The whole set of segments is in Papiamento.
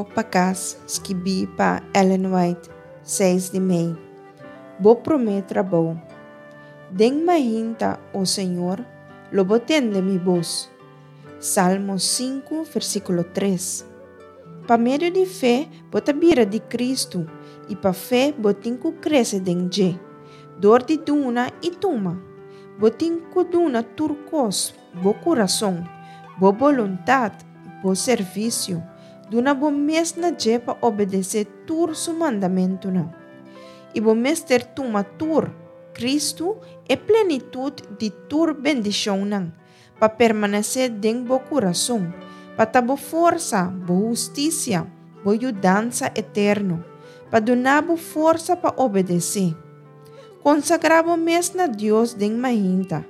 Rumbo pa Kas, skibí pa Ellen White, seis di mei. Bo promé trabou. Den mainta, o Señor, lo bo tende mi bos. Salmo sinku, versíkulo tres. Pa medio di fe bo ta bira di Kristu i pa fe bo tin ku krese den dje, dor di duna i tuma. Bo tin ku duna tur kos, bo kurason, bo boluntat, bo servisio, duna bo mes na dje pa obedesé tur su mandamentunan. I bo mester tuma tur, Kristu, e plenitut di tur bendishonnan, pa permanesé den bo kurason, pa ta bo forsa, bo hustisia, bo yudansa eterno, pa duna bo forsa pa obedesé. Konsagrá bo mes na Dios den mainta.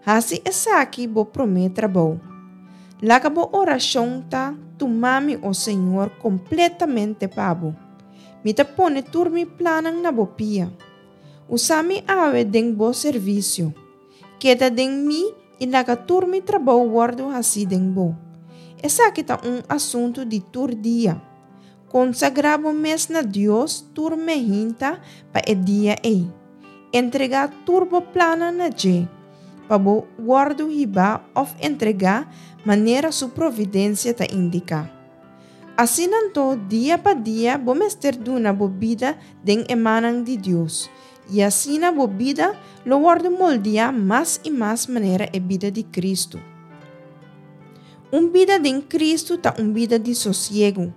Hasi esaki bo promé trabou. Laga bo orashon ta, Tuma mi, o Señor, kompletamente pa bo. Mi ta pone tur mi plannan na bo pia. Usa mi awe den bo servisio. Keda den mi i laga tur mi trabou wòrdu hasí den bo. Esaki ta un asuntu di tur dia. Konsagrá bo mes na Dios tur mehinta pa e dia ei. Entregá tur bo plannan na dje, pa bo wòrdu hibá òf entregá manera su providensia ta indiká. Asina anto, dia pa dia bo mester duna bo bida den e mannan di Dios, i asina bo bida lo wòrdu moldiá mas i mas manera e bida di Kristu. Un bida den Kristu ta un bida di sosiegu.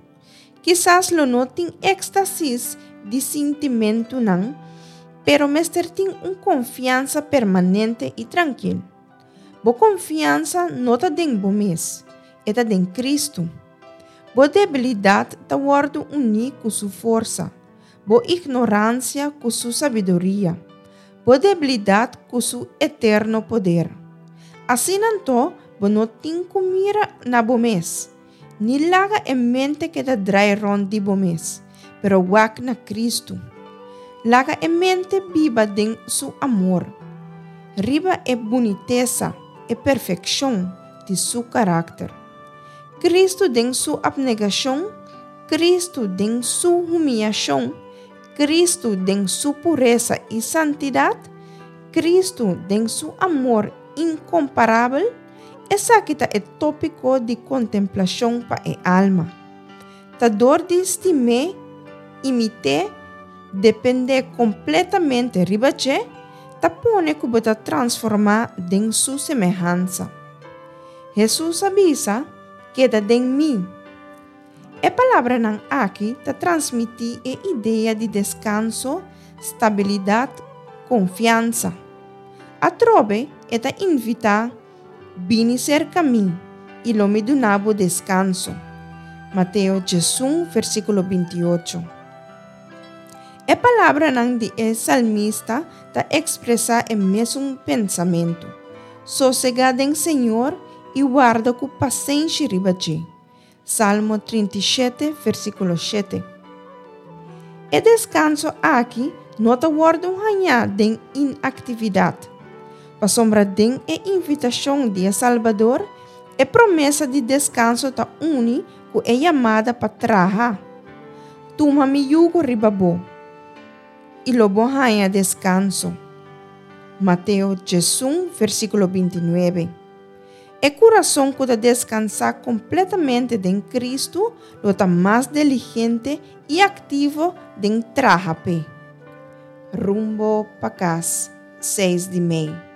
Kisas lo no tin éxtasis di sintimentunan, pero mester tin un konfiansa permanente i trankil. Bo konfiansa no ta den bo mes, e ta den Kristu. Bo debilidat ta wòrdu uní ku Su forsa, bo ignoransia ku Su sabiduria, bo debilidat ku Su eterno poder. Asina anto bo no tin ku mira na bo mes. Ni laga e mente keda drai rond di bo mes, pero wak na Kristu. Laga e mente biba den Su amor, riba e bunitesa, e perfekshon, di Su karakter. Kristu den Su apnegashon, Kristu den Su humiashon, Kristu den Su puresa i santidat, Kristu den Su amor inkomparabel, Esaki ta e tópiko di kontemplashon pa e alma. Ta dor di stim'é, imit'é, dependé kompletamente riba dje, ta pone ku bo ta transformá den su semehansa. Hesus a bisa, Keda den mi. E palabranan aki ta transmití e idea di deskanso, stabilidat, konfiansa. Atrobe e ta invitá, Bini serka mi, i lo mi duna bo deskanso. Mateo 11, versíkulo 28. E palabranan di e salmista ta ekspresá e mesun pensamentu, Sosegá den Señor i warda ku pasenshi riba dje. Salmo 37, versíkulo 7. E deskanso aki no ta wòrdu hañá den inaktividat, pasobra den e invitashon di e Salbador, e promesa di deskanso ta uni ku e yamada pa traha. Tuma mi yugo riba bo, i lo bo haña deskanso. Mateo 11, versíkulo 29. E kurason ku ta deskansá kompletamente den Kristu lo ta mas diligente i aktivo den traha p'e. Rumbo pa kas, seis di mei.